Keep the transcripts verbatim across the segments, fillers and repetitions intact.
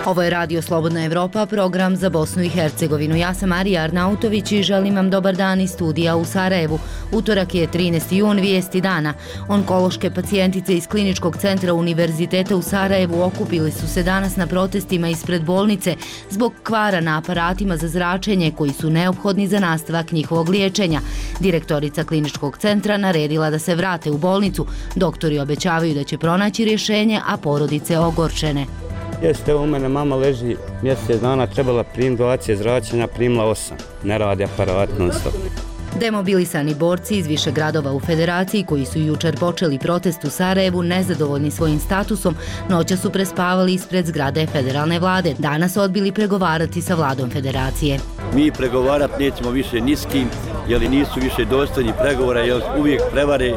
Ovo je Radio Slobodna Evropa, program za Bosnu i Hercegovinu. Ja sam Marija Arnautović i želim vam dobar dan iz studija u Sarajevu. Utorak je trinaesti jun, vijesti dana. Onkološke pacijentice iz Kliničkog centra Univerziteta u Sarajevu okupili su se danas na protestima ispred bolnice zbog kvara na aparatima za zračenje koji su neophodni za nastavak njihovog liječenja. Direktorica Kliničkog centra naredila da se vrate u bolnicu. Doktori obećavaju da će pronaći rješenje, a porodice ogorčene. Jeste, u mene mama leži mjesec dana, trebala prim donacije zračenja, primila osam. Ne radi aparat non stop. Demobilisani borci iz više gradova u Federaciji koji su jučer počeli protest u Sarajevu nezadovoljni svojim statusom, noća su prespavali ispred zgrade federalne vlade. Danas odbili pregovarati sa vladom Federacije. Mi pregovarati nećemo više ni s kim, jer nisu više dostojni pregovora, jer uvijek prevare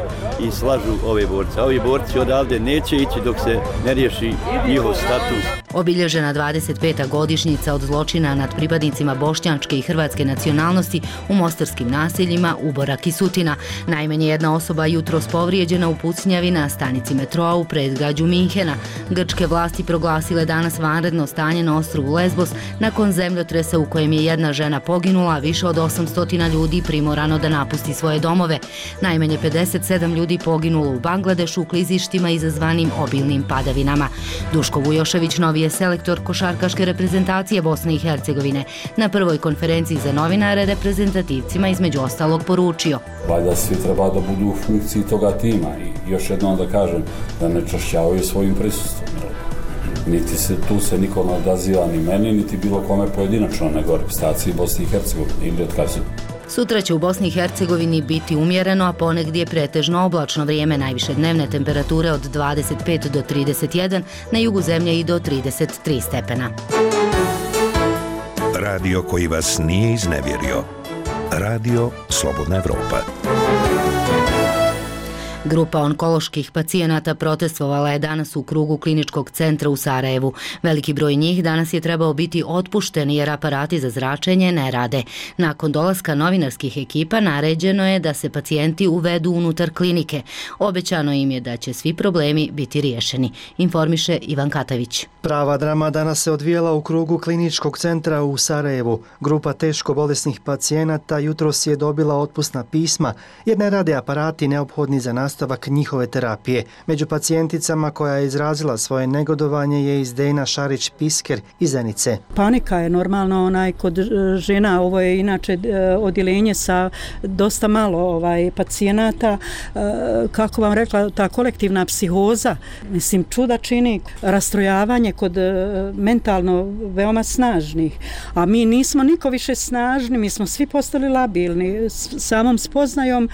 i slažu ove borce. A ovi borci odavde neće ići dok se ne riješi njihov status. Obilježena dvadeset peta godišnjica od zločina nad pripadnicima bošnjačke i hrvatske nacionalnosti u mostarskim naseljima Uborak i Sutina. Najmanje jedna osoba jutros povrijeđena u pucnjavi na stanici metroa u predgrađu Minhena. Grčke vlasti proglasile danas vanredno stanje na ostrvu Lesbos nakon zemljotresa u kojem je jedna žena poginula, a više od osamsto ljudi primorano da napusti svoje domove. Najmanje pedeset sedam ljudi poginulo u Bangladešu u klizištima izazvanim obilnim padavinama. Duško Vujošević, novi je selektor košarkaške reprezentacije Bosne i Hercegovine. Na prvoj konferenciji za novinare reprezentativcima između ostalog poručio: valjda svi treba da budu u funkciji toga tima i još jednom da kažem da ne čašćavaju svojim prisustvom. Niti se tu se niko ne odaziva ni meni, niti bilo kome pojedinačno, nego reprezentaciji Bosne i Hercegovine ili otkazuju. Sutra će u Bosni i Hercegovini biti umjereno, a ponegdje pretežno oblačno vrijeme, najviše dnevne temperature od dvadeset pet do trideset jedan, na jugu zemlje i do trideset tri stepena. Radio koji vas nije iznevjerio. Radio Slobodna Evropa. Grupa onkoloških pacijenata protestovala je danas u krugu Kliničkog centra u Sarajevu. Veliki broj njih danas je trebao biti otpušten jer aparati za zračenje ne rade. Nakon dolaska novinarskih ekipa naređeno je da se pacijenti uvedu unutar klinike. Obećano im je da će svi problemi biti riješeni, informiše Ivan Katavić. Prava drama danas se odvijela u krugu Kliničkog centra u Sarajevu. Grupa teško bolesnih pacijenata jutros je dobila otpusna pisma jer ne rade aparati neophodni za nastavak njihove terapije. Među pacijenticama koja je izrazila svoje negodovanje je i Zdena Šarić-Pisker iz Zenice. Panika je normalno onaj kod žena, ovo je inače odjeljenje sa dosta malo ovaj pacijenata, kako vam rekla, ta kolektivna psihoza, mislim čuda čini, rastrojavanje kod mentalno veoma snažnih, a mi nismo niko više snažni, mi smo svi postali labilni samom spoznajom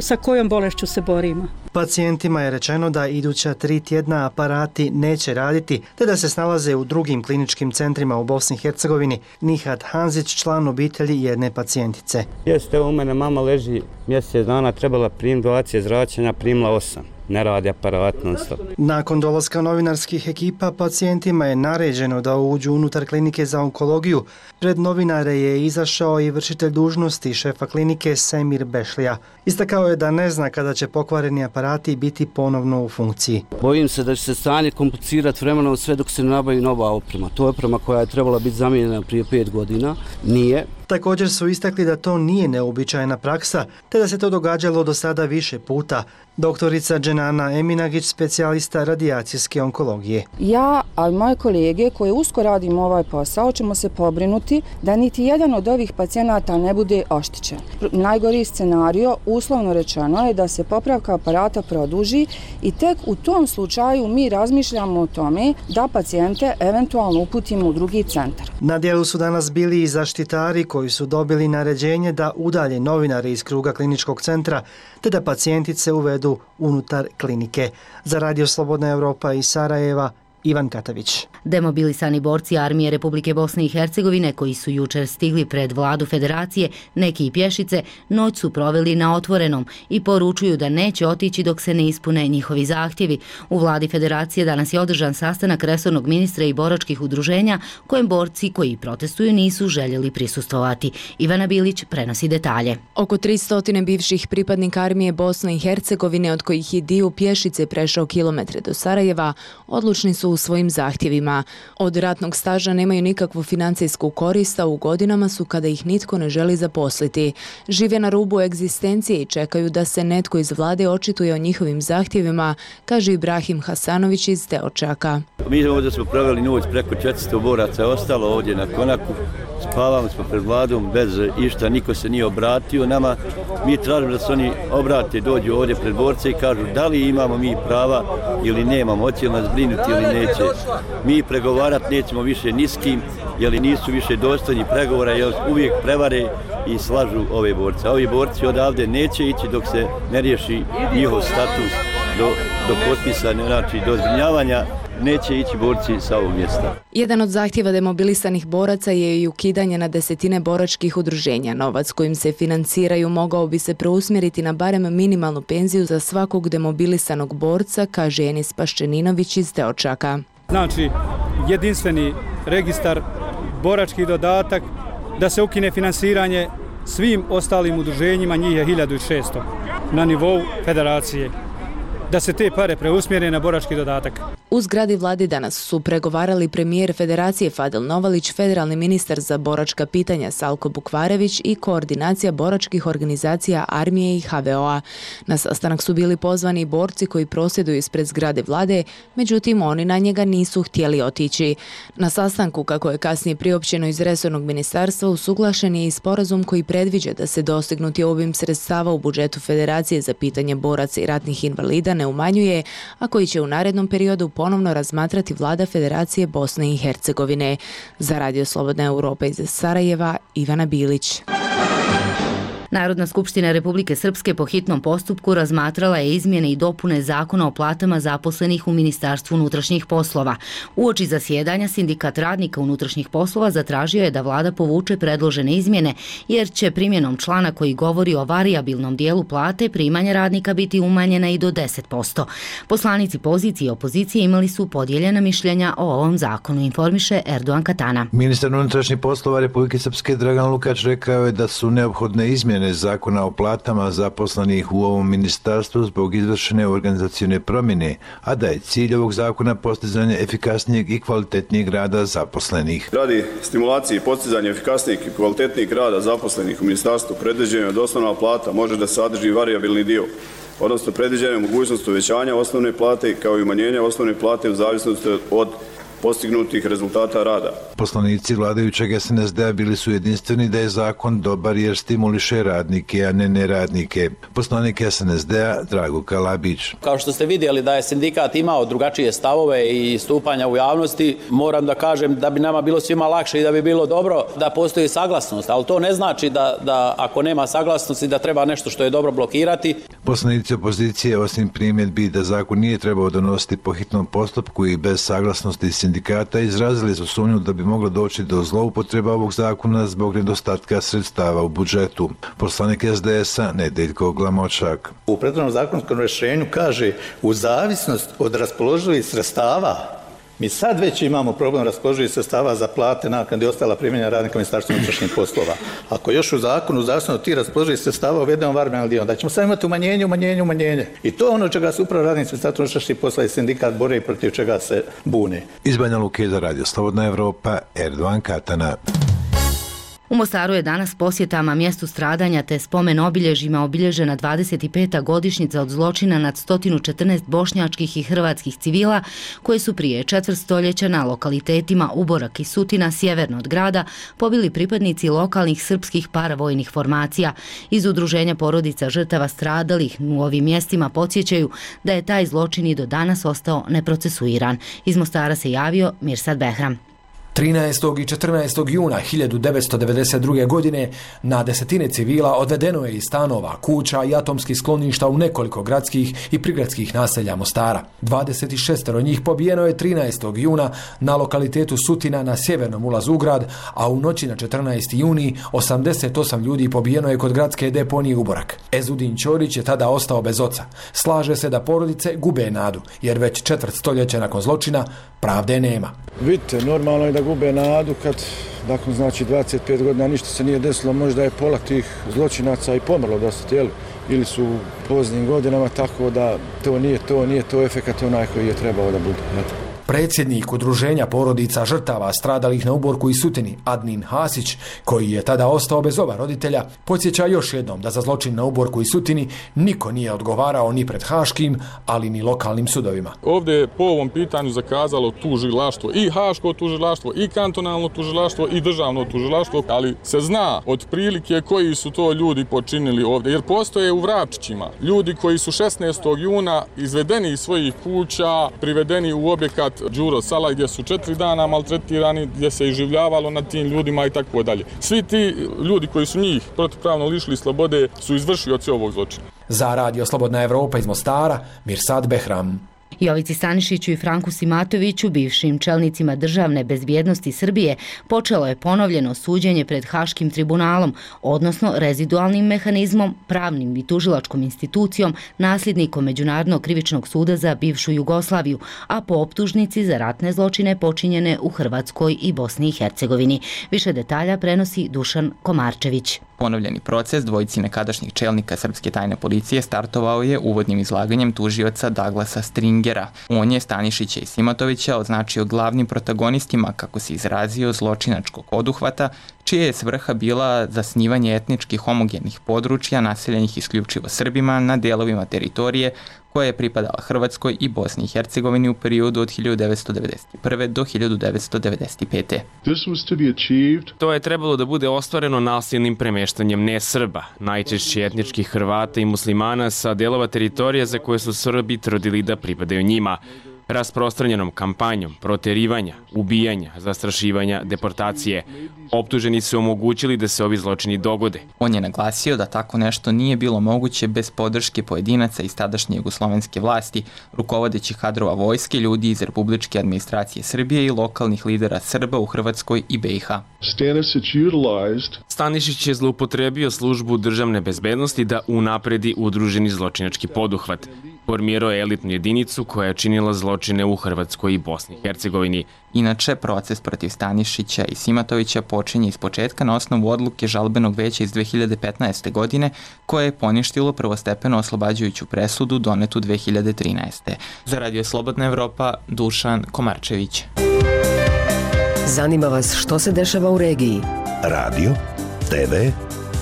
sa kojom bolešću se borimo. Pacijentima je rečeno da iduća tri tjedna aparati neće raditi, te da se snalaze u drugim kliničkim centrima u Bosni i Hercegovini. Nihat Hanzić, član obitelji jedne pacijentice. Jeste, u mene mama leži mjesec dana, trebala prim donacije zračenja, primila osam. Ne radi aparat non stop. Nakon dolaska novinarskih ekipa, pacijentima je naređeno da uđu unutar klinike za onkologiju. Pred novinare je izašao i vršitelj dužnosti šefa klinike Semir Bešlija. Istakao je da ne zna kada će pokvareni aparati biti ponovno u funkciji. Bojim se da će se stanje komplicirati vremenom sve dok se ne nabavi nova oprema. To je oprema koja je trebala biti zamijenjena prije pet godina. Nije. Također su istakli da to nije neobičajna praksa, te da se to događalo do sada više puta. Doktorica Dženana Eminagić, specijalista radijacijske onkologije. Ja, ali moje kolege koje usko radimo ovaj posao, ćemo se pobrinuti da niti jedan od ovih pacijenata ne bude oštećen. Najgori scenario, uslovno rečeno, je da se popravka aparata produži i tek u tom slučaju mi razmišljamo o tome da pacijente eventualno uputimo u drugi centar. Na dijelu su danas bili i zaštitari koji su dobili naređenje da udalje novinare iz kruga Kliničkog centra, te da pacijentice uvedu unutar klinike. Za Radio Slobodna Evropa iz Sarajeva, Ivan Katavić. Demobilisani borci armije Republike Bosne i Hercegovine koji su jučer stigli pred vladu Federacije, neki i pješice, noć su proveli na otvorenom i poručuju da neće otići dok se ne ispune njihovi zahtjevi. U vladi Federacije danas je održan sastanak resornog ministra i boračkih udruženja kojem borci koji protestuju nisu željeli prisustvovati. Ivana Bilić prenosi detalje. Oko tristo bivših pripadnika armije Bosne i Hercegovine, od kojih je dio pješice prešao kilometre do Sarajeva, odlučni su u svojim zahtjevima. Od ratnog staža nemaju nikakvu financijsku korist, a u godinama su kada ih nitko ne želi zaposliti. Žive na rubu egzistencije i čekaju da se netko iz vlade očituje o njihovim zahtjevima, kaže Ibrahim Hasanović iz Teočaka. Mi ovdje smo proveli noć, preko četiristo boraca je ostalo ovdje na konaku. Spavamo smo pred vladom bez išta, niko se nije obratio nama. Mi tražimo da se oni obrate, dođu ovdje pred borce i kažu da li imamo mi prava ili nemamo, hoće li nas brinuti ili neće. Mi pregovarati nećemo više ni s kim, jer nisu više dostojni pregovora, jer uvijek prevare i slažu ove borce. A ovi borci odavde neće ići dok se ne riješi njihov status do, do potpisa, znači do zbrinjavanja. Neće ići borci sa ovog mjesta. Jedan od zahtjeva demobilisanih boraca je i ukidanje na desetine boračkih udruženja. Novac kojim se financiraju mogao bi se preusmjeriti na barem minimalnu penziju za svakog demobilisanog borca, kaže Enis Paščeninović iz Teočaka. Znači, jedinstveni registar, borački dodatak, da se ukine finansiranje svim ostalim udruženjima, njih je hiljadu šesto na nivou federacije. Da se te pare preusmjere na borački dodatak. U zgradi vlade danas su pregovarali premijer Federacije Fadil Novalić, federalni ministar za boračka pitanja Salko Bukvarević i koordinacija boračkih organizacija armije i ha ve o-a. Na sastanak su bili pozvani borci koji prosvjeduju ispred zgrade vlade, međutim oni na njega nisu htjeli otići. Na sastanku, kako je kasnije priopćeno iz resornog ministarstva, usuglašen je i sporazum koji predviđa da se dostignuti obim sredstava u budžetu Federacije za pitanje boraca i ratnih invalida ne umanjuje, a koji će u narednom periodu ponovno razmatrati vlada Federacije Bosne i Hercegovine. Za Radio Slobodna Europa iz Sarajeva, Ivana Bilić. Narodna skupština Republike Srpske po hitnom postupku razmatrala je izmjene i dopune zakona o platama zaposlenih u Ministarstvu unutrašnjih poslova. Uoči zasjedanja sindikat radnika unutrašnjih poslova zatražio je da vlada povuče predložene izmjene, jer će primjenom člana koji govori o varijabilnom dijelu plate primanja radnika biti umanjena i do deset posto. Poslanici pozicije i opozicije imali su podijeljena mišljenja o ovom zakonu, informiše Erdogan Katana. Ministar unutrašnjih poslova Republike Srpske Dragan Lukač rekao je da su neophodne izmjene zakona o platama zaposlenih u ovom ministarstvu zbog izvršene organizacione promjene, a da je cilj ovog zakona postizanje efikasnijeg i kvalitetnijeg rada zaposlenih. Radi stimulacije i postizanja efikasnijeg i kvalitetnijeg rada zaposlenih u ministarstvu predviđeno je da osnovna plata može da sadrži varijabilni dio, odnosno predviđena je mogućnost uvećanja osnovne plate kao i umanjenja osnovne plate u zavisnosti od postignutih rezultata rada. Poslanici vladajućeg es en es de-a bili su jedinstveni da je zakon dobar jer stimuliše radnike, a ne neradnike. Poslanik es en es de-a Drago Kalabić. Kao što ste vidjeli da je sindikat imao drugačije stavove i stupanja u javnosti, moram da kažem da bi nama bilo svima lakše i da bi bilo dobro da postoji saglasnost, ali to ne znači da, da ako nema saglasnosti da treba nešto što je dobro blokirati. Poslanici opozicije, osim primjedbi da zakon nije trebao donositi po hitnom postupku i bez saglasnosti sindikata, izrazili su sumnju da bi moglo doći do zloupotreba ovog zakona zbog nedostatka sredstava u budžetu. Poslanik es de es-a Nedeljko Glamočak. U prethodnom zakonskom rješenju kaže u zavisnost od raspoloživih sredstava. Mi sad već imamo problem raspoloživih sredstava za plate, naknade i ostala primanja radnika Ministarstva unutrašnjih poslova. Ako još u zakonu, u zavisno od tih raspoloživih sredstava uvedemo varijabilni dio, da ćemo sad imati umanjenje, umanjenje, umanjenje. I to je ono čega se upravo radnici Ministarstva unutrašnjih poslova i sindikat bore i protiv čega se bune. Iz Banja Luke za Radio Slobodna Evropa, Erdogan Katana. U Mostaru je danas posjetama mjestu stradanja te spomen obilježjima obilježena dvadeset peta godišnjica od zločina nad sto četrnaest bošnjačkih i hrvatskih civila koji su prije četvrt stoljeća na lokalitetima Uborak i Sutina sjeverno od grada pobili pripadnici lokalnih srpskih paravojnih formacija. Iz udruženja porodica žrtava stradalih u ovim mjestima podsjećaju da je taj zločin i do danas ostao neprocesuiran. Iz Mostara se javio Mirsad Behram. trinaestog i četrnaestog juna hiljadu devetsto devedeset druge. godine na desetine civila odvedeno je iz stanova, kuća i atomskih skloništa u nekoliko gradskih i prigradskih naselja Mostara. dvadeset šest njih pobijeno je trinaestog juna na lokalitetu Sutina na sjevernom ulazu u grad, a u noći na četrnaesti juni osamdeset osam ljudi pobijeno je kod gradske deponije Uborak. Ezudin Ćorić je tada ostao bez oca. Slaže se da porodice gube nadu, jer već četvrt stoljeća nakon zločina pravde nema. Vidite, normalno je da gube nadu kad, dakle, znači dvadeset pet godina ništa se nije desilo, možda je pola tih zločinaca i pomrlo dosta, jel? Ili su u poznim godinama, tako da to nije to, nije to efekat onaj koji je trebao da bude. Jel? Predsjednik Udruženja porodica žrtava stradalih na uborku i Sutini, Adnin Hasić, koji je tada ostao bez oba roditelja, podsjeća još jednom da za zločin na uborku i Sutini niko nije odgovarao ni pred haškim, ali ni lokalnim sudovima. Ovdje je po ovom pitanju zakazalo tužilaštvo, i haško tužilaštvo, i kantonalno tužilaštvo, i državno tužilaštvo, ali se zna od prilike koji su to ljudi počinili ovdje, jer postoje u Vračićima ljudi koji su šesnaestog juna izvedeni iz svojih kuća, privedeni u objekat Đuro Sala gdje su četiri dana maltretirani, gdje se iživljavalo nad tim ljudima i tako dalje. Svi ti ljudi koji su njih protivpravno lišili slobode su izvršioci ovog zločina. Za Radio Slobodna Evropa iz Mostara, Mirsad Behram. Jovici Stanišiću i Franku Simatoviću, bivšim čelnicima državne bezbjednosti Srbije, počelo je ponovljeno suđenje pred Haškim tribunalom, odnosno rezidualnim mehanizmom, pravnim i tužilačkom institucijom, nasljednikom Međunarodnog krivičnog suda za bivšu Jugoslaviju, a po optužnici za ratne zločine počinjene u Hrvatskoj i Bosni i Hercegovini. Više detalja prenosi Dušan Komarčević. Ponovljeni proces dvojici nekadašnjih čelnika srpske tajne policije startovao je uvodnim izlaganjem tužioca Douglasa Stringera. On je Stanišića i Simatovića označio glavnim protagonistima, kako se izrazio, zločinačkog oduhvata, čija je svrha bila zasnivanje etnički homogenih područja naseljenih isključivo Srbima na delovima teritorije koja je pripadala Hrvatskoj i Bosni i Hercegovini u periodu od hiljadu devetsto devedeset prve. do hiljadu devetsto devedeset pete. To je trebalo da bude ostvareno nasilnim premeštanjem ne-Srba, najčešće etničkih Hrvata i muslimana sa delova teritorija za koje su Srbi tvrdili da pripadaju njima, rasprostranjenom kampanjom proterivanja, ubijanja, zastrašivanja, deportacije. Optuženi su omogućili da se ovi zločini dogode. On je naglasio da tako nešto nije bilo moguće bez podrške pojedinaca iz tadašnje jugoslovenske vlasti, rukovodećih kadrova vojske, ljudi iz republičke administracije Srbije i lokalnih lidera Srba u Hrvatskoj i B i H. Stanišić je zloupotrebio službu državne bezbednosti da unapredi udruženi zločinački poduhvat. Formirao je elitnu jedinicu koja je činila zločine u Hrvatskoj i Bosni i Hercegovini. Inače, proces protiv Stanišića i Simatovića počinje iz početka na osnovu odluke žalbenog veća iz dve hiljade petnaeste. godine, koje je poništilo prvostepeno oslobađajuću presudu donetu dve hiljade trinaeste. Za Radio Slobodna Evropa, Dušan Komarčević. Zanima vas što se dešava u regiji? Radio, te ve,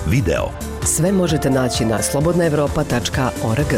video. Sve možete naći na slobodna evropa tačka org.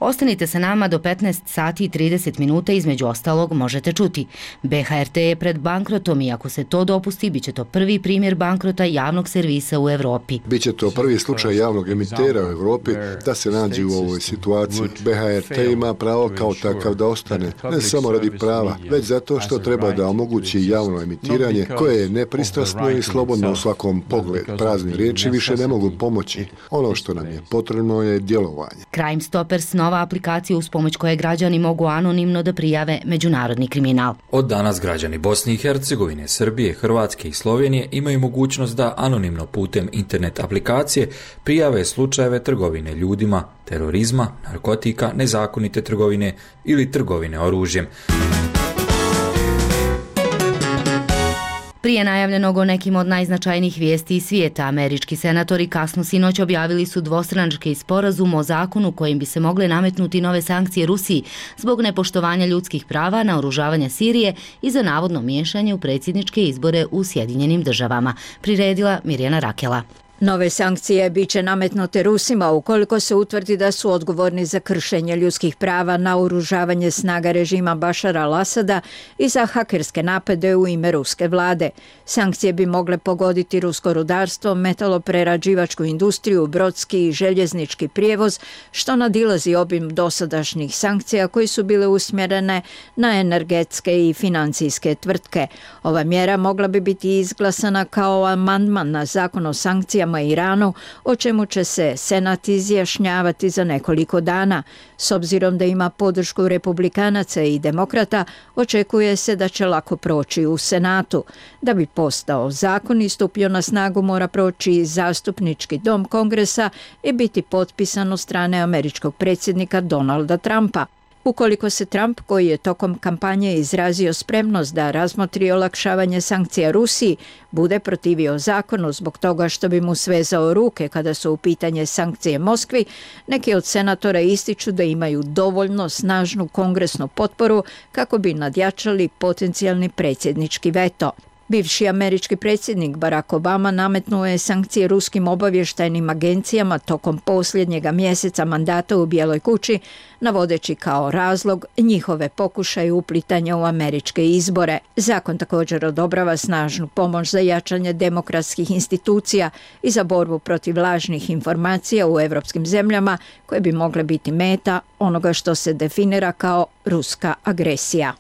Ostanite sa nama do petnaest sati i trideset minuta, između ostalog možete čuti. B H R T je pred bankrotom i ako se to dopusti, bit će to prvi primjer bankrota javnog servisa u Evropi. Biće to prvi slučaj javnog emitera u Evropi da se nađe u ovoj situaciji. B H R T ima pravo kao takav da ostane, ne samo radi prava, već zato što treba da omogući javno emitiranje koje je nepristrasno i slobodno u svakom pogledu. Prazne riječi više ne mogu pomoći. Ono što nam je potrebno je djelovanje. Crime Stoppers, nova aplikacija uz pomoć koje građani mogu anonimno da prijave međunarodni kriminal. Od danas građani Bosne i Hercegovine, Srbije, Hrvatske i Slovenije imaju mogućnost da anonimno putem internet aplikacije prijave slučajeve trgovine ljudima, terorizma, narkotika, nezakonite trgovine ili trgovine oružjem. Prije najavljenog o nekim od najznačajnijih vijesti iz svijeta, američki senatori kasno sinoć objavili su dvostranački sporazum o zakonu kojim bi se mogle nametnuti nove sankcije Rusiji zbog nepoštovanja ljudskih prava, naoružavanja Sirije i za navodno miješanje u predsjedničke izbore u Sjedinjenim državama. Priredila Mirjana Rakela. Nove sankcije bit će nametnute Rusima ukoliko se utvrdi da su odgovorni za kršenje ljudskih prava, naoružavanje snaga režima Bašara al-Asada i za hakerske napade u ime ruske vlade. Sankcije bi mogle pogoditi rusko rudarstvo, metaloprerađivačku industriju, brodski i željeznički prijevoz, što nadilazi obim dosadašnjih sankcija koji su bile usmjerene na energetske i financijske tvrtke. Ova mjera mogla bi biti izglasana kao amandman na zakon o sankcijama Iranu, o čemu će se Senat izjašnjavati za nekoliko dana. S obzirom da ima podršku republikanaca i demokrata, očekuje se da će lako proći u Senatu. Da bi postao zakon i stupio na snagu, mora proći zastupnički dom Kongresa i biti potpisan od strane američkog predsjednika Donalda Trumpa. Ukoliko se Trump, koji je tokom kampanje izrazio spremnost da razmotri olakšavanje sankcija Rusiji, bude protivio zakonu zbog toga što bi mu svezao ruke kada su u pitanje sankcije Moskvi, neki od senatora ističu da imaju dovoljno snažnu kongresnu potporu kako bi nadjačali potencijalni predsjednički veto. Bivši američki predsjednik Barack Obama nametnuo je sankcije ruskim obavještajnim agencijama tokom posljednjega mjeseca mandata u Bijeloj kući, navodeći kao razlog njihove pokušaje uplitanja u američke izbore. Zakon također odobrava snažnu pomoć za jačanje demokratskih institucija i za borbu protiv lažnih informacija u evropskim zemljama koje bi mogle biti meta onoga što se definira kao ruska agresija.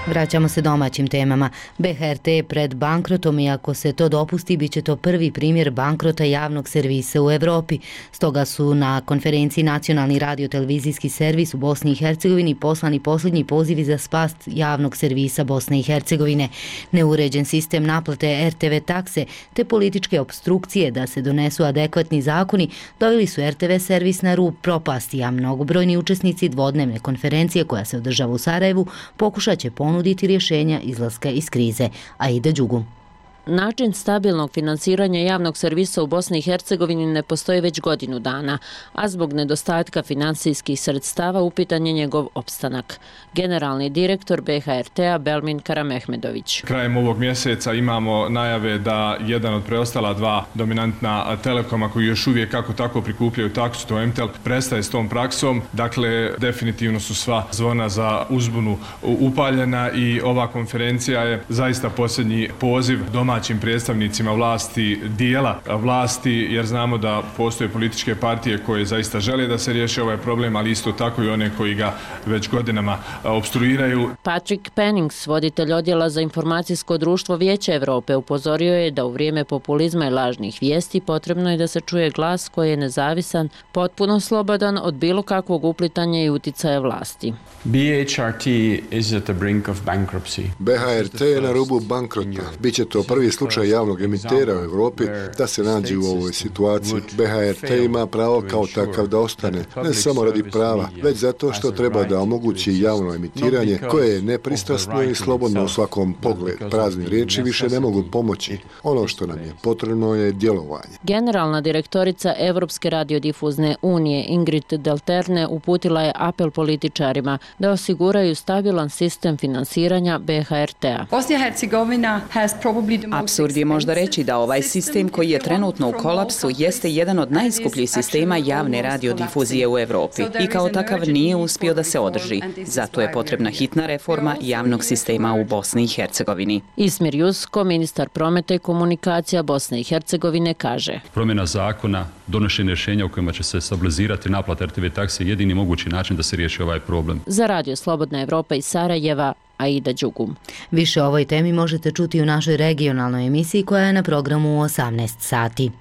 Vraćamo se domaćim temama. B H R T je pred bankrotom i ako se to dopusti, bit će to prvi primjer bankrota javnog servisa u Europi. Stoga su na konferenciji Nacionalni radio-televizijski servis u Bosni i Hercegovini poslani posljednji pozivi za spas javnog servisa Bosne i Hercegovine. Neuređen sistem naplate R T V takse te političke opstrukcije da se donesu adekvatni zakoni doveli su R T V servis na rub propasti, a mnogobrojni učesnici dvodnevne konferencije koja se održava u Sarajevu pokušat će ponuditi nuditi rješenja izlaska iz krize. Aida Đugum. Način stabilnog finansiranja javnog servisa u Bosni i Hercegovini ne postoji već godinu dana, a zbog nedostatka finansijskih sredstava upitan je njegov opstanak. Generalni direktor B H R T-a Belmin Karamehmedović. Krajem ovog mjeseca imamo najave da jedan od preostala dva dominantna telekoma koji još uvijek kako tako prikupljaju taksu, to M T E L, prestaje s tom praksom. Dakle, definitivno su sva zvona za uzbunu upaljena i ova konferencija je zaista posljednji poziv doma domaćim predstavnicima vlasti, dijela vlasti, jer znamo da postoje političke partije koje zaista žele da se riješi ovaj problem, ali isto tako i one koji ga već godinama opstruiraju. Patrick Pennings, voditelj odjela za informacijsko društvo Vijeća Europe, upozorio je da u vrijeme populizma i lažnih vijesti potrebno je da se čuje glas koji je nezavisan, potpuno slobodan od bilo kakvog uplitanja i uticaja vlasti. B H R T is at the brink of bankruptcy. B H R T je na rubu bankrota. Biće to prvi slučaj javnog emitera u Europi da se nađe u ovoj situaciji. B H R T ima pravo kao takav da ostane, ne samo radi prava, već zato što treba da omogući javno emitiranje koje je nepristrasno i slobodno u svakom pogledu. Prazni riječi više ne mogu pomoći. Ono što nam je potrebno je djelovanje. Generalna direktorica Evropske radiodifuzne unije Ingrid Delterne uputila je apel političarima da osiguraju stabilan sistem finansiranja B H R T-a. Apsurd je možda reći da ovaj sistem koji je trenutno u kolapsu jeste jedan od najskupljih sistema javne radiodifuzije u Europi i kao takav nije uspio da se održi. Zato je potrebna hitna reforma javnog sistema u Bosni i Hercegovini. Ismir Jusko, ministar prometa i komunikacija Bosne i Hercegovine, kaže: Promjena zakona, donošenje rješenja u kojima će se stabilizirati naplata R T V takse je jedini mogući način da se riješi ovaj problem. Za Radio Slobodna Evropa iz Sarajeva, Aida Đugum. Više o ovoj temi možete čuti u našoj regionalnoj emisiji koja je na programu u osamnaest sati.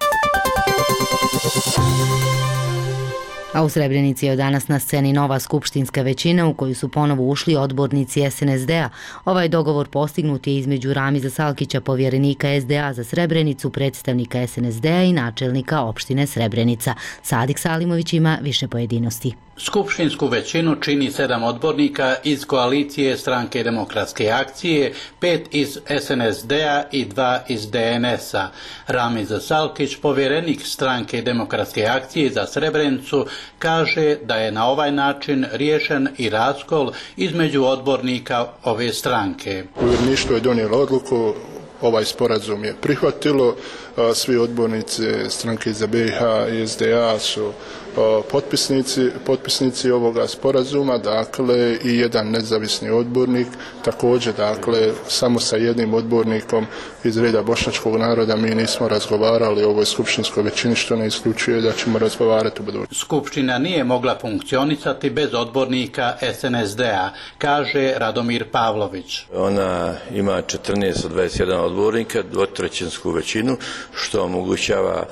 A u Srebrenici je danas na sceni nova skupštinska većina u koju su ponovo ušli odbornici S N S D-a. Ovaj dogovor postignut je između Ramiza Salkića, povjerenika S D A za Srebrenicu, predstavnika S N S D-a i načelnika opštine Srebrenica. Sadik Salimović ima više pojedinosti. Skupštinsku većinu čini sedam odbornika iz koalicije Stranke demokratske akcije, pet iz S N S D-a i dva iz D N S-a. Ramiz Salkić, povjerenik Stranke demokratske akcije za Srebrenicu, kaže da je na ovaj način riješen i raskol između odbornika ove stranke. Povjereništvo je donijelo odluku, ovaj sporazum je prihvatilo, svi odbornici stranke za B i H i S D A su potpisnici, potpisnici ovoga sporazuma, dakle i jedan nezavisni odbornik, također dakle samo sa jednim odbornikom iz reda bošnjačkog naroda mi nismo razgovarali o ovoj skupštinskoj većini, što ne isključuje da ćemo razgovarati u budućnosti. Skupština nije mogla funkcionisati bez odbornika S N S D-a, kaže Radomir Pavlović. Ona ima četrnaest od dvadeset jedan odbornika, dvotrećinsku većinu, što omogućava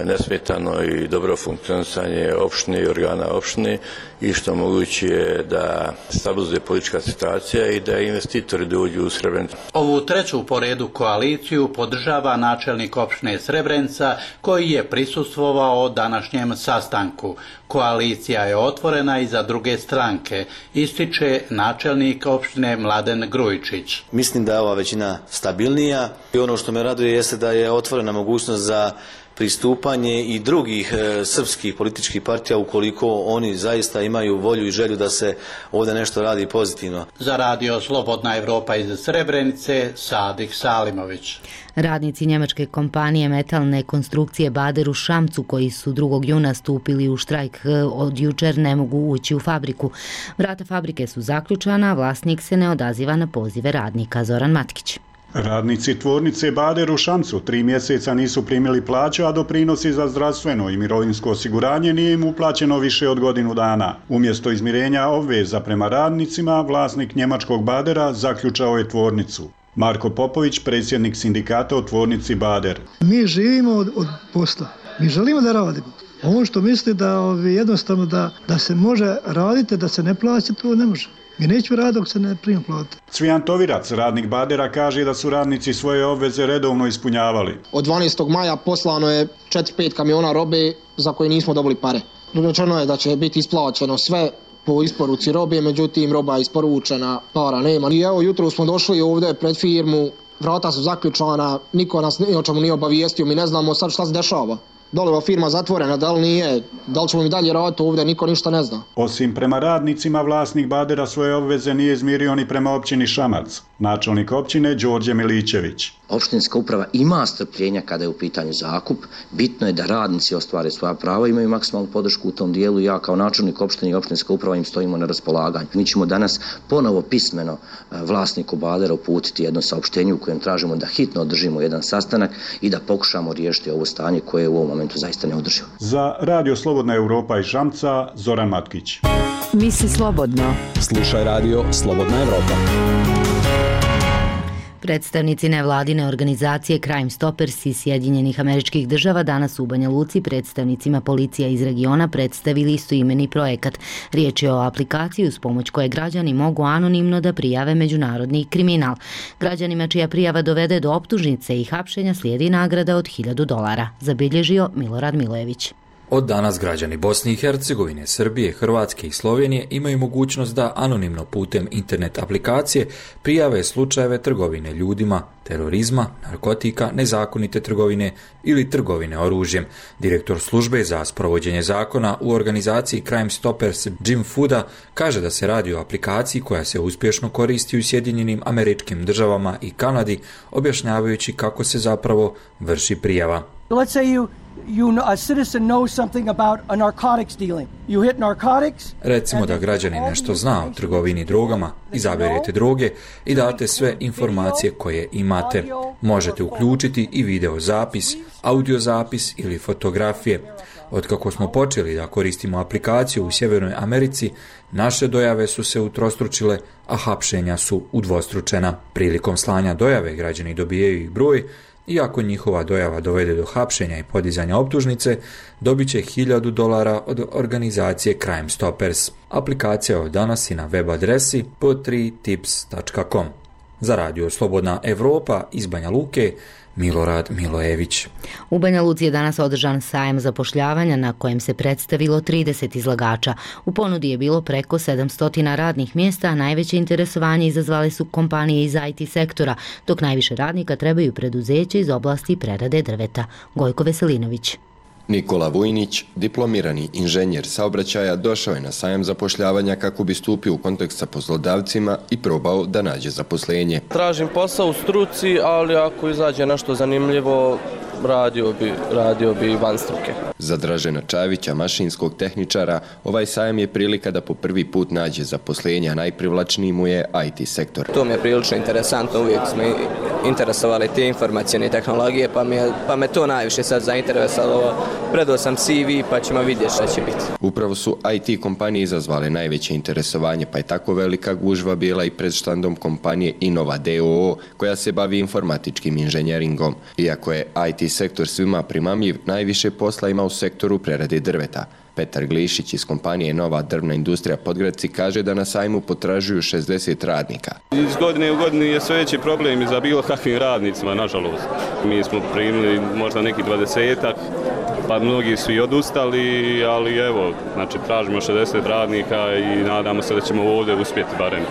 nesmetano i dobro funkcionisanje opštine i organa opštine i što moguće da stabilizuje politička situacija i da investitori dođu u Srebrenicu. Ovu treću po redu koaliciju podržava načelnik opštine Srebrenica koji je prisustvovao današnjem sastanku. Koalicija je otvorena i za druge stranke, ističe načelnik opštine Mladen Grujičić. Mislim da je ova većina stabilnija i ono što me raduje jeste da je otvorena mogućnost za pristupanje i drugih e, srpskih političkih partija ukoliko oni zaista imaju volju i želju da se ovdje nešto radi pozitivno. Za radio Slobodna Evropa iz Srebrenice, Sadik Salimović. Radnici njemačke kompanije metalne konstrukcije Bader u Šamcu, koji su drugog juna stupili u štrajk, od jučer ne mogu ući u fabriku. Vrata fabrike su zaključana, a vlasnik se ne odaziva na pozive radnika. Zoran Matkić. Radnici tvornice Bader u Šamcu tri mjeseca nisu primili plaću, a doprinosi za zdravstveno i mirovinsko osiguranje nije im uplaćeno više od godinu dana. Umjesto izmirenja obveza prema radnicima, vlasnik njemačkog Badera zaključao je tvornicu. Marko Popović, predsjednik sindikata u tvornici Bader. Mi živimo od, od posla. Mi želimo da radimo. Ono što misli da ovi, jednostavno da, da se može raditi, da se ne plaća, to ne može. Mi neću raditi dok se ne prima plata. Cvijan Tovirac, radnik Badera, kaže da su radnici svoje obveze redovno ispunjavali. Od dvanaestog maja poslano je četiri pet kamiona robe za koje nismo dobili pare. Rečeno je da će biti isplaćeno sve po isporuci robe, međutim roba je isporučena, para nema. I evo jutro smo došli ovdje pred firmu, vrata su zaključana, niko nas ni o čemu nije obavijestio, mi ne znamo sad šta se dešava. Da li je firma zatvorena, da li nije, da li ćemo mi dalje raditi ovdje, niko ništa ne zna. Osim prema radnicima, vlasnik Badera svoje obveze nije izmirio ni prema općini Šamac. Načelnik općine Đorđe Milićević. Opštinska uprava ima strpljenja kada je u pitanju zakup. Bitno je da radnici ostvare svoja prava, imaju maksimalnu podršku u tom dijelu. Ja kao načelnik opštine i opštinska uprava im stojimo na raspolaganju. Mi ćemo danas ponovo pismeno vlasniku Badera uputiti jedno saopštenje u kojem tražimo da hitno održimo jedan sastanak i da pokušamo riješiti ovo stanje koje je u ovom momentu zaista neodrživo. Za Radio Slobodna Evropa iz Šamca, Zoran Matkić. Misli slobodno. Slušaj Radio Slobodna Evropa. Predstavnici nevladine organizacije Crime Stoppers iz Sjedinjenih Američkih Država danas u Banja Luci predstavnicima policija iz regiona predstavili istoimeni projekat. Riječ je o aplikaciji uz pomoć koje građani mogu anonimno da prijave međunarodni kriminal. Građanima čija prijava dovede do optužnice i hapšenja slijedi nagrada od hiljadu dolara, zabilježio Milorad Milojević. Od danas građani Bosne i Hercegovine, Srbije, Hrvatske i Slovenije imaju mogućnost da anonimno putem internet aplikacije prijave slučajeve trgovine ljudima, terorizma, narkotika, nezakonite trgovine ili trgovine oružjem. Direktor službe za sprovođenje zakona u organizaciji Crime Stoppers Jim Fuda kaže da se radi o aplikaciji koja se uspješno koristi u Sjedinjenim Američkim Državama i Kanadi, objašnjavajući kako se zapravo vrši prijava. Let's say you You know, a citizen knows something about a narcotics dealing. You hit narcotics. Recimo da građani nešto zna o trgovini drogama, izaberete droge i date sve informacije koje imate. Možete uključiti i video zapis, audio zapis ili fotografije. Otkako smo počeli da koristimo aplikaciju u Sjevernoj Americi, naše dojave su se utrostručile, a hapšenja su udvostručena. Prilikom slanja dojave građani dobijaju i broj. I ako njihova dojava dovede do hapšenja i podizanja optužnice, dobit će hiljadu dolara od organizacije Crime Stoppers. Aplikacija je od danas i na web adresi po tri tips tačka com. Za Radio Slobodna Evropa iz Banja Luke, Milorad Milojević. U Banja Luci je danas održan sajam zapošljavanja na kojem se predstavilo trideset izlagača. U ponudi je bilo preko sedamsto radnih mjesta, a najveće interesovanje izazvale su kompanije iz I T sektora, dok najviše radnika trebaju preduzeće iz oblasti prerade drveta. Gojko Veselinović. Nikola Vujnić, diplomirani inženjer saobraćaja, došao je na sajam zapošljavanja kako bi stupio u kontakt sa poslodavcima i probao da nađe zaposlenje. Tražim posao u struci, ali ako izađe nešto zanimljivo, radio bi, radio bi van struke. Za Dražena Čavića, mašinskog tehničara, ovaj sajam je prilika da po prvi put nađe zaposlenje, a najprivlačniji mu je I T sektor. To mi je prilično interesantno, uvijek smo interesovali te informacijne tehnologije, pa, mi je, pa me to najviše sad zainteresovalo. Predao sam C V pa ćemo vidjeti šta će biti. Upravo su I T kompanije izazvale najveće interesovanje, pa je tako velika gužva bila i pred štandom kompanije Innova D O O, koja se bavi informatičkim inženjeringom. Iako je I T sektor svima primamljiv, najviše posla ima u sektoru prerade drveta. Petar Glišić iz kompanije Nova drvna industrija Podgradci kaže da na sajmu potražuju šezdeset radnika. Iz godine u godinu je sve veći problem i za bilo kakvim radnicima, nažalost. Mi smo primili možda neki dvadesetak, pa mnogi su i odustali, ali evo, znači tražimo šezdeset radnika i nadamo se da ćemo ovdje uspjeti barem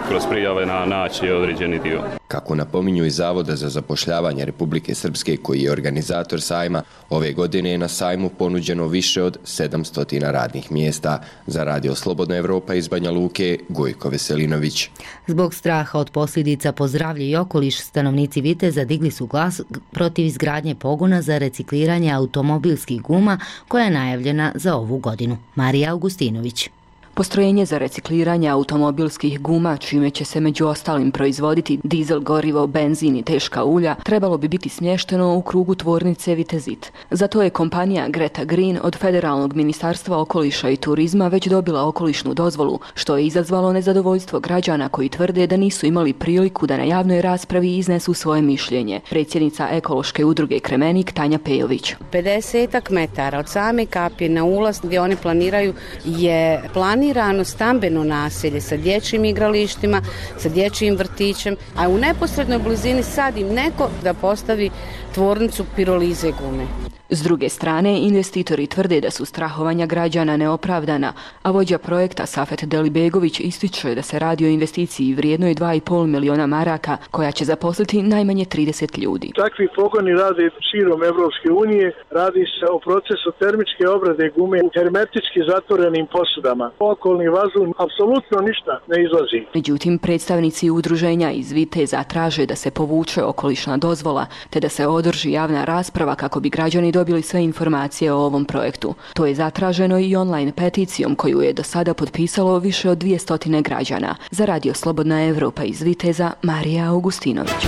kroz prijave na naći određeni dio. Kako napominju iz Zavoda za zapošljavanje Republike Srpske, koji je organizator sajma, ove godine je na sajmu ponuđeno više od sedamsto radnih mjesta. Za Radio Slobodna Evropa iz Banja Luke, Gojko Veselinović. Zbog straha od posljedica po zdravlje i okoliš, stanovnici Viteza digli su glas protiv izgradnje pogona za recikliranje automobilskih guma koja je najavljena za ovu godinu. Marija Augustinović. Postrojenje za recikliranje automobilskih guma, čime će se među ostalim proizvoditi dizel gorivo, benzin i teška ulja, trebalo bi biti smješteno u krugu tvornice Vitezit. Zato je kompanija Greta Green od Federalnog ministarstva okoliša i turizma već dobila okolišnu dozvolu, što je izazvalo nezadovoljstvo građana koji tvrde da nisu imali priliku da na javnoj raspravi iznesu svoje mišljenje. Predsjednica ekološke udruge Kremenik Tanja Pejović. pedeset metara od same kapije na ulaz gdje oni planiraju je plan planirano stambeno naselje sa dječjim igralištima, sa dječjim vrtićem, a u neposrednoj blizini sad im neko da postavi tvornicu pirolize gume. S druge strane, investitori tvrde da su strahovanja građana neopravdana, a vođa projekta Safet Delibegović ističe da se radi o investiciji vrijednoj dva i pol miliona maraka, koja će zaposliti najmanje trideset ljudi. Takvi pogoni rade širom Evropske unije, radi se o procesu termičke obrade gume u hermetički zatvorenim posudama. Okolni vazduh apsolutno ništa ne izlazi. Međutim, predstavnici udruženja iz Viteza traže da se povuče okolišna dozvola, te da se održi javna rasprava kako bi građani dobili sve informacije o ovom projektu. To je zatraženo i online peticijom koju je do sada potpisalo više od dvjesto građana. Za Radio Slobodna Evropa iz Viteza, Marija Augustinović.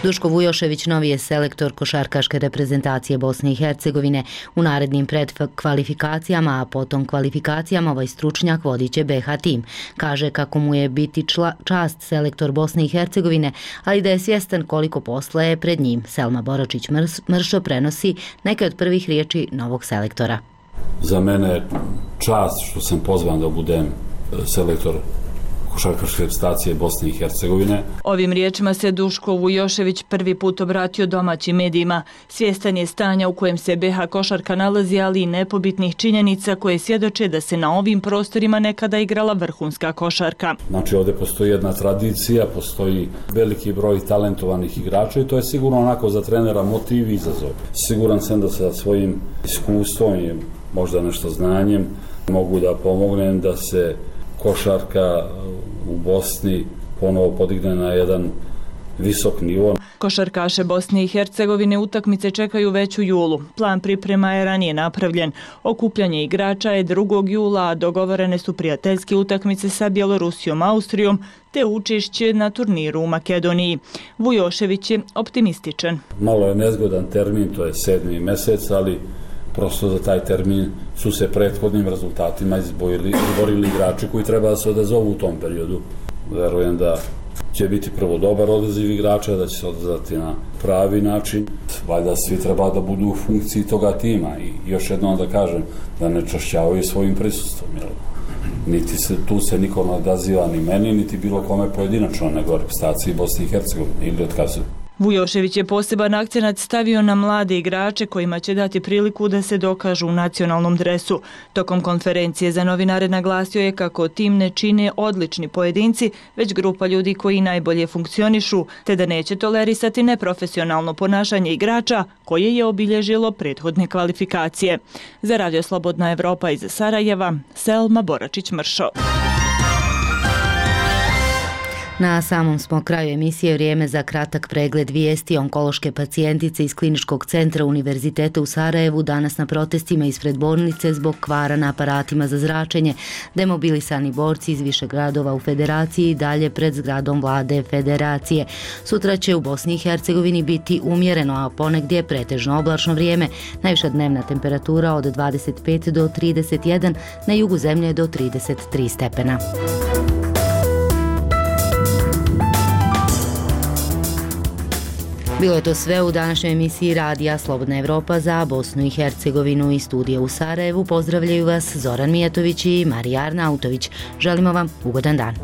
Duško Vujošević novi je selektor košarkaške reprezentacije Bosne i Hercegovine. U narednim predkvalifikacijama, a potom kvalifikacijama ovaj stručnjak vodit će B H tim. Kaže kako mu je biti čla, čast selektor Bosne i Hercegovine, ali da je svjestan koliko posla je pred njim. Selma Boračić-Mršo prenosi neke od prvih riječi novog selektora. Za mene je čast što sam pozvan da budem selektor košarkaške reprezentacije Bosne i Hercegovine. Ovim riječima se Duško Vujošević prvi put obratio domaćim medijima. Svjestan je stanja u kojem se B H košarka nalazi, ali i nepobitnih činjenica koje svjedoče da se na ovim prostorima nekada igrala vrhunska košarka. Znači ovdje postoji jedna tradicija, postoji veliki broj talentovanih igrača i to je sigurno onako za trenera motiv i izazov. Siguran sam da sa svojim iskustvom i možda nešto znanjem mogu da pomognem da se košarka u Bosni ponovo podigne na jedan visok nivo. Košarkaše Bosne i Hercegovine utakmice čekaju već u julu. Plan priprema je ranije napravljen. Okupljanje igrača je drugog jula, a dogovorene su prijateljske utakmice sa Bjelorusijom, Austrijom, te učešće na turniru u Makedoniji. Vujošević je optimističan. Malo je nezgodan termin, to je sedmi mjesec, ali prosto za taj termin su se prethodnim rezultatima izborili, izborili igrači koji treba da se odazovu u tom periodu. Verujem da će biti prvo dobar odaziv igrača, da će se odazvati na pravi način. Valjda svi treba da budu u funkciji toga tima i još jednom da kažem da ne čašćavaju svojim prisustvom. Jer niti se, tu se niko ne odaziva ni meni, niti bilo kome pojedinačno, nego reprezentaciji Bosne i Hercegovine ili otkazuju. Vujošević je poseban akcenat stavio na mlade igrače kojima će dati priliku da se dokažu u nacionalnom dresu. Tokom konferencije za novinare naglasio je kako tim ne čine odlični pojedinci, već grupa ljudi koji najbolje funkcionišu, te da neće tolerisati neprofesionalno ponašanje igrača koje je obilježilo prethodne kvalifikacije. Za Radio Slobodna Evropa iz Sarajeva, Selma Boračić-Mršo. Na samom smo kraju emisije, vrijeme za kratak pregled vijesti. Onkološke pacijentice iz Kliničkog centra Univerziteta u Sarajevu danas na protestima ispred bolnice zbog kvara na aparatima za zračenje. Demobilisani borci iz više gradova u Federaciji dalje pred zgradom vlade Federacije. Sutra će u Bosni i Hercegovini biti umjereno, a ponegdje pretežno oblačno vrijeme. Najviša dnevna temperatura od dvadeset pet do trideset jedan, na jugu zemlje do trideset tri stepena. Bilo je to sve u današnjoj emisiji Radija Slobodna Evropa za Bosnu i Hercegovinu. Iz studija u Sarajevu pozdravljaju vas Zoran Mijatović i Marija Arnautović. Želimo vam ugodan dan.